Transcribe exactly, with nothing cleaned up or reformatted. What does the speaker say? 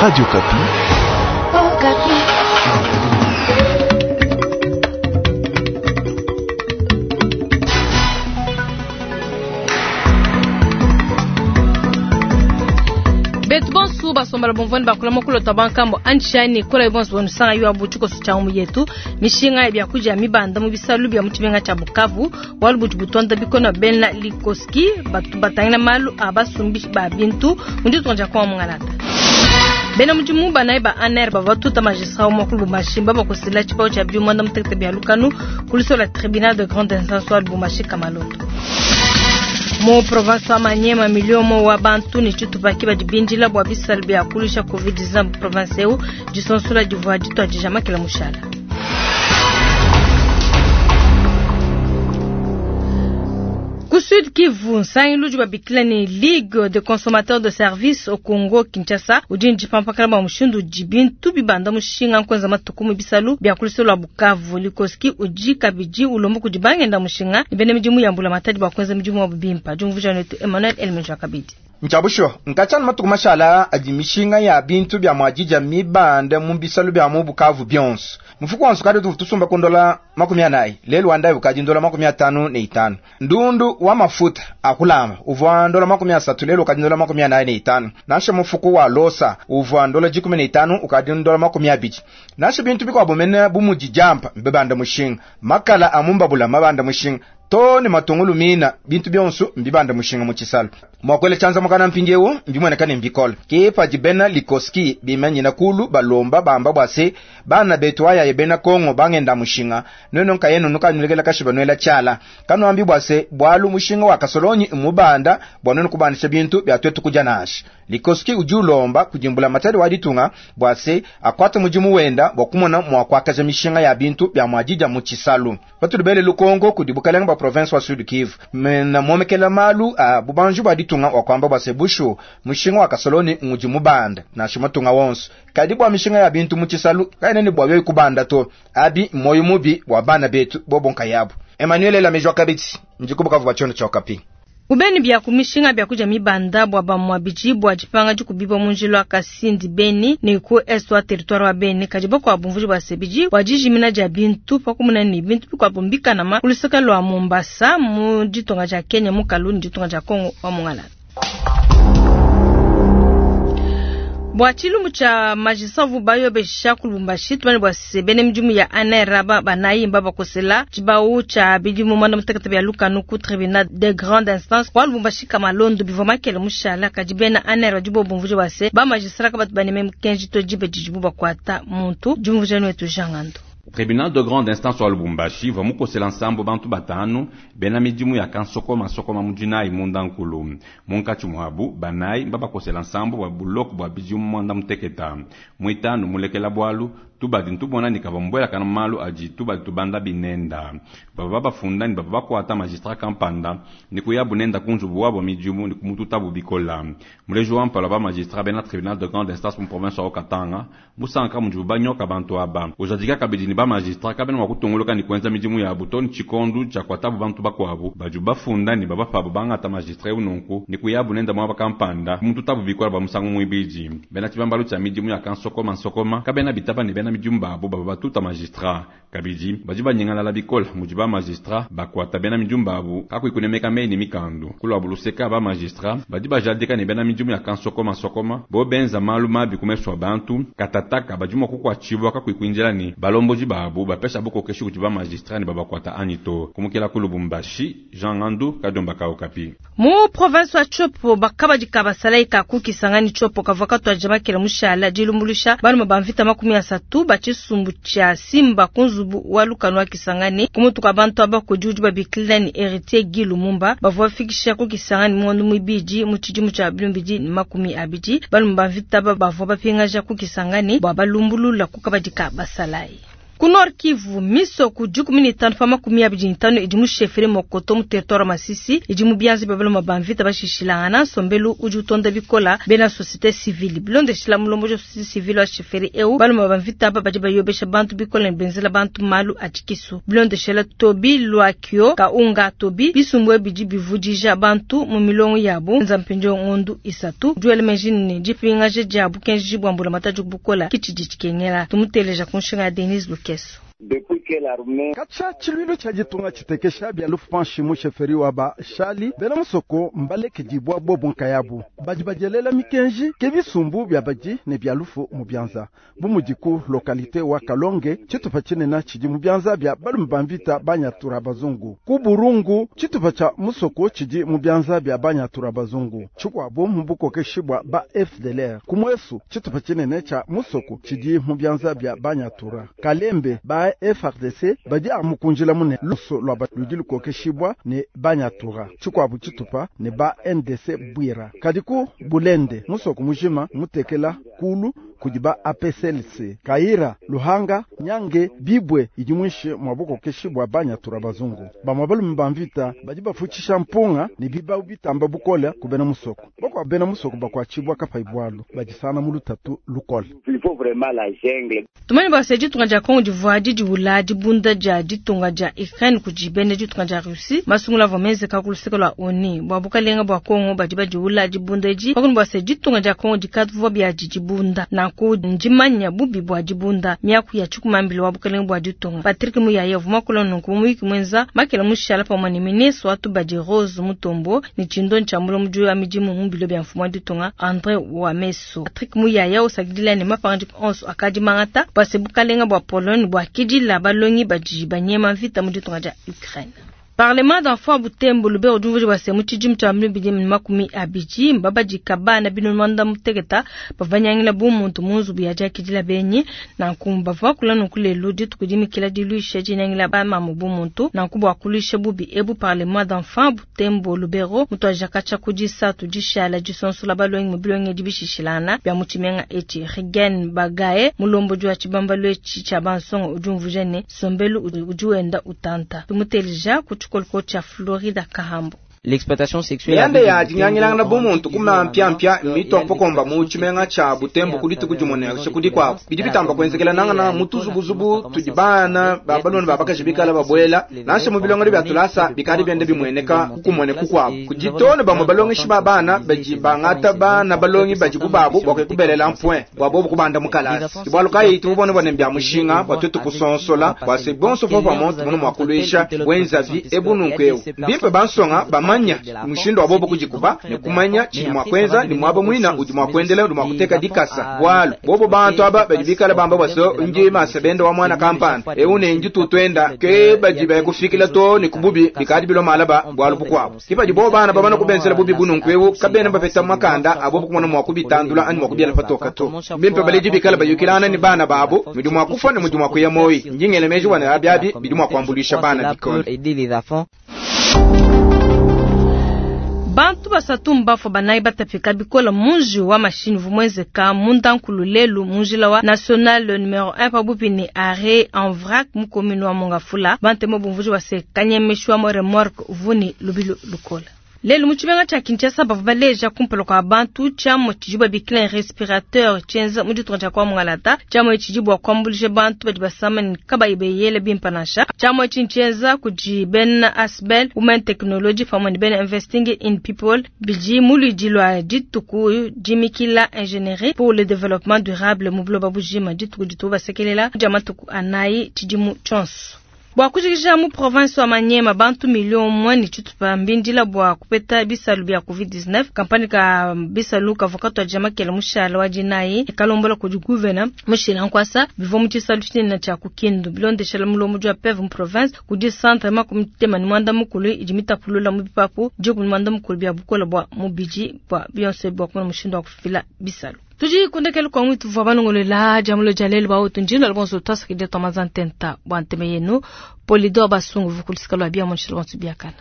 Radio Okapi. Okapi. Betu bonsu basombala bomvwani bakula mokulota bankambo anshani kola bonsu bonusanga yo abutuko sucha yetu mishinga ya byakuja mibanda mu bisalu bya muchibenga cha Bukavu walu butu butonda bikono bena likoski batu batangina malu abasumbi ba bintu mundi tukonja kwa mungalata bena mudimu banayi ba A N R bavatuta magistrat wa ku Lubumbashi bakosela tshipao tshia biuma nda mutekete bya lukanu kulisola tribunal de grande instance wa Lubumbashi Kamalondo. Mu province wa Maniema miliomo wa bantu ni tshitupa badi bindila bua bisalu bia kulusha covid dix-neuf province eu disonsola divua dituadija makela mushala. Ku Sud Kivu nsangilu udi babikila ne Ligue de consommateurs de services au Congo Kinshasa udi ndipampakana bua mushindu udi bintu bibanda mushinga nkuenza matuku mu bisalu bia kulusolo lua Bukavu. Likoski udi kabidi ulomba kudi bangenda mushinga ne bena midimu ya mbula matadi bua kuenza midimu wabu bimpa. Diumvuija netu Emmanuel Elmenja kabidi. Nchabusho nkachana matuku mashala adi mishinga ya bintu bya mwajija mibanda mu bisalu bya mu Bukavu byonso mufuko wansu kadi tusumba kundola makumi anayi lelu wandayi ukadi ndola makumi atanu ne itanu ndundu wa mafuta akulamba uvua ndola makumi asatu lelu ukadi ndola makumi anayi ne itanu nansha mufuko wa losa uvua ndola jikumi ne itanu ukadi ndola makumi abidi nansha bintu bikuabu mene bumudi jampa mbibanda mushinga makala amumbabula mabanda mushinga to ne matungulu mina bintu byonso mbibanda mushinga mu tshisalu mwakwele tshanza mukana mpindiewu mbimweneka ne mbikole ke padi bena likoski bimanyina kulu balomba bamba bua se bana betu ayaye bena Kongo bangenda mushinga nwenu nkayenu nukanulekela kashiba nwela tshiala kanuambi bua se bwalu mushinga wa kasolonyi mubanda bua nwenu kubandisha bintu bya twetu kudia nansha. Likoski udi ulomba kudimbula matadi wa ditunga bua se akwate mudimu wenda bua kumona mua kuakaja mishinga ya bintu bya muadija mu tshisalu patulubele lukongo kudi bukalenga bua province wa Sud Kivu mena momekela malu a bubanji bua ditunga wa kwamba bua se bushu mushinga wa kasoloni ngudi mubanda nansha matunga wonso kadi bua mishinga ya bintu mu tshisalu kaena ne bua yoyi kubanda to abi moyo mubi bua bana betu bobo nkayabu. Emmanuel Lamejwa Kabidi ndikubukavu bua tshiondo tshia Okapi. Ubeni bya kumishinga bya kuja mibanda bwa bamwa biji bwa jipanga jikubiba munjilo akasindi Beni ni ku est wa territoire wa Beni kadi bakwa bumvuji bwa sebiji bwa jijimina ja bintu pakumuna ni bintu bikwa bumbika nama kulusaka lwa Mombasa mu ditonga ja Kenya mu Kaluni ditonga ja Kongo wa Mongala. Bwa tshilumbu tshia magistravu bayobesha ku Lubumbashi tumane bwa sebene midimu ya A N R ba banayi mba bakosela tshibau tshia bidimu mwanda mutekete bya lukanu ku tribunal de grande instance kwa Lubumbashi Kamalondo bivua makele mushala kadi bena A N R badi bobumvuja bwa se ba magistrat ka batu baneme mukenji to dibe didibu bakuata muntu diumvuja netu Jangando. Tribunal de grande instance wa Lubumbashi va mukosela nsambo bantu batanu bena midimu ya kansokoma sokoma mudinayi munda nkulu munkatshi muabu banayi mbabakosela nsambo bua buloko bua bidimu mwanda muteketa muitanu mulekela bwalu tubadi ntubona ni kava mbwelakana malu adi tubadi tubanda binenda baba babafunda ni baba bakwata magistrat kampanda ni kuyabu nenda kunzubu wabo midimu ni kumututabu bikola muleji wa mpala ba magistrat bena tribunal de grande instance mu province wa Katanga musanka mudibu banyoka bantu aba ujadika kabidi ni ba magistrat kabena mwa kutunguluka ni kuenza midimu yabu to ni tshikondu tshia kuatabu bantu bakuabu badi bafunda ni baba pabu bangata magistrat ununku ni kuyabu nenda mwaba kampanda kumututabu bikola ba musangu muibidi bena tshibambalu tshia midimu ya kansokoma nsokoma kabena bitaba ni bena midimu babo baba batuta magistrat kabidi badi banyengalala bikola mudi ba magistrat bakwata bena midimu babu kakuikunemeka mei ni mikandu kulwabu luseka ba magistrat badi bajadika ne bena midimu ya kansokoma sokoma bo benza malu mabi kumeswa bantu katataka badi mua kukuatshibwa kakuikuinjila ni balomboji babu bapesha bukokeshi kuti ba magistrat ni babakwata anyi to kumukila ku Lubumbashi Jean Ngandu Kadomba ka Okapi. Mu province wa Tshopo bakabadi kabasala ka kukisangani Tshopo kavua katuadija makela mushala dilumbuluisha balume ba mvita makumi asatu ba tshisumbu tshia Simba kunzubu wa lukanu wa Kisangani kumutu kwa bantu aba kudi udi babikila ni Héritier Guy Lumumba bavua bafikisha ku Kisangani muandu muibidi mu tshidimu tshia bilumbidi ne makumi abidi balume ba mvita aba bavua bapingaja ku Kisangani bua balumbulula ku kabadi ka basalayi. Ku Nord Kivu, misoko dikumi ne itanu pa makumi abidi ne itanu idi mu chefferie Mokoto mu territoire Masisi idi mu bianza bia baluma ba mvita bashishilangana. Nsombelu udi utonda bikola bena société civile bilondeshila mulomboji wa société civile wa chefferie eu baluma ba mvita aba badi bayobesha bantu bikola ne benzela bantu malu a tshikisu. Bilondeshila Tobi Lwakio Kaunga Tobi bisumbu bidi bivudija bantu mu milongo yabo nzampinjo ngondu isatu duel mejini dipingaje dia bukenji bwa mbulamatadi bukola kitshidi tshikengela. Tumuteleja kunshinga Denise Lukeso. Kacha chilwilo cha jitunga chitekesha bya lufu mu sheferi wa ba shali bena musoko mbaleke dibwa bobo nkayabu baji bajelela mikenji ke bisumbu bya baji ne bya lufu mu byanza bumudiku lokalite wa Kalonge chitupa chinena chidi mu byanza bya balume bamvita banyatura bazungu ku Burungu chitupa cha musoko chidi mu byanza bya banyatura bazungu chikwabo mu bukokeshi bwa ba F D L R kumwesu chitupa chinene cha musoko chidi mu byanza bya banyatura Kalembe ba F R D C badi amukunjila mune luso lwa baludi lukokeshibwa ne banyatura chikwabu chitupa ne ba N D C Bwira kadiku Bulende musoko mujima mutekela kulu kudiba A P C L C Kaira Luhanga Nyange Bibwe idi mwishe mwabukokeshibwa banyatura bazungu bamwabalu mbamvita badi bafuchisha mpunga ne biba bitamba bukola kubena musoko bako bena musoko bakwachibwa kapa ibwalu badisana mulutatu lukola. Il faut vraiment la jungle. Tumani bwa ditunga dia Congo d'Ivoire didiwula dibunda dia ditunga dia Ukraine kudi ditunga dia Russie masungula vomeze kakuluseka lwa ONU bwa bukalenga bwa Congo badi badiwula dibunda edi bakunu bwa ditunga dia Congo dikatuvua bia dibunda nanku ndimanya bubi bwa dibunda miaku ya tshikumambile wa bukalenga bwa ditunga Patrick Muyaya vuma kulona nku mwenza makela mushala pamwe ne ministre wa tubadi Rose Mutombo ni chindo ntshambulo muju ya midimu mu bilo bya mfumu wa ditunga André Wameso. Patrick Muyaya osakidila ne mapangadi onso akadi mangata bwase bukalenga bwa Pologne bwa kidila balongi baji banyema mvita mu ditunga dia Ukraine. Parlement d'enfants Butembo Lubero dumvuji bwase mu tshidimu tshia bibili ne makumi abidi mbabadi kabana bino manda muteketa bavanyangila bumuntu mu nzubu ya diakidila benyi nanku bavua kula nunku lelo dituku dimikila diluisha dinyangila bamamu bumuntu nanku bua kuluisha bubi ebu Parlement d'enfants Butembo Lubero mutuaja katshia ku disatu dishala disonsola balongi mu bilongi dibishishilana bia mu tshimenga etshi Regan Bagaye mulomboji wa tshibambalu etshi tshia bansonga udi umvuja ne sombelu udi wenda utanta tumuteleja ku cha Florida Kahambo. L'exploitation sexuelle yande ya dinyangilanga bumuntu kuma mpya mpya mitompokomba mu tshimenga tsha Butembo kudi tukujumone shikudi kwabo bidi bitamba kwenzekela nangana mutuzubuzubu tudibana babaloni babakaji bikala babwela nashe mu bilongelo bya tulasa bikali byende bimweneka kukumone kukwabo kujitone bamwe balongeshi babana baji bangata bana balongi baji kubabo bwakwe mpwe bwabo kubanda mukalasi ibwaluka yitu bubone bone mbya mushinga bwatwetu kusonsola bwase bonso fo pamonto muno mwakulwisha wenzavi ebununkweu bimpe bansonga bamanya mushindo wa bobo kujikuba ne kumanya chini mwakwenza ni mwabo mwina udi mwakwendela udi mwakuteka dikasa bwalu bobo bantu aba badibikala bamba bwaso nji masebendo wa mwana kampani eune nji tutwenda ke bajiba kufikila to ni kububi bikadi bilo malaba bwalu bukwabo kipaji bobo bana babana kubenzela bubi bununkwewu kabena bapeta makanda abobo kumona mwakubitandula ani mwakubyala patoka to bimpe baleji bikala bayukilana ni bana babo mudi mwakufa ne mudi mwakuya moyi njingele meji wana abyabi bidi mwakwambulisha bana bikona. Bantu basatu mbafo banayi batapika bikola munji wa mashini vumwezeka mundankulu lelu munjila wa national numero un pabupi ni arrêt en vrac mu commune wa Mongafula bantemo bumvuji wase kanyemeshwa mo remorque vuni lubilo lukola. Lelu mu tshimenga tshia Kinshasa bavua baleja kumpala kua bantu tshiamu tshidi babikila respirateur tshienza mu ditunga tshia kwa Mongalata tshiamu tshidi bua kuambuluisha bantu badi basama ne kabayi beyele bimpe nansha. Tshiamu etshi ntshienza kudi bena Asbel Women Technology pamue ne bena Investing in People bidi mu luidi lua dituku dimikila ingénierie pour le développement durable mu buloba bujima dituku dituku basekelela dia matuku anayi tshidimu tshionso. Bua kujikija mu province wa Manyema bantu milioni moja ni tshitupa mbindila bua kupeta bisalu bia covid dix-neuf kampani ka bisalu kavua katwa makela mushala wa dinayi kalombola kudi gouverneur mushila nkwasa bivua mu tshisalu tshinene tshia kukindu bilondeshela mulomboji wa P E V mu province kudi centre makumi tema ni mwanda mukulu idi mitapulula mu bipapu dikumi mwanda mukulu bia bukola bua mubidi bua bionso bua kumona mushindu wa kufila bisalu. Tuji kundekelu kwa mwitu vwa banongolela jamulo jalelu ba otu njino alonso twasakide twamazantenta bwa nteme yenu Polidor Basungu vukulisika lwa bia monshilo wantu biakana.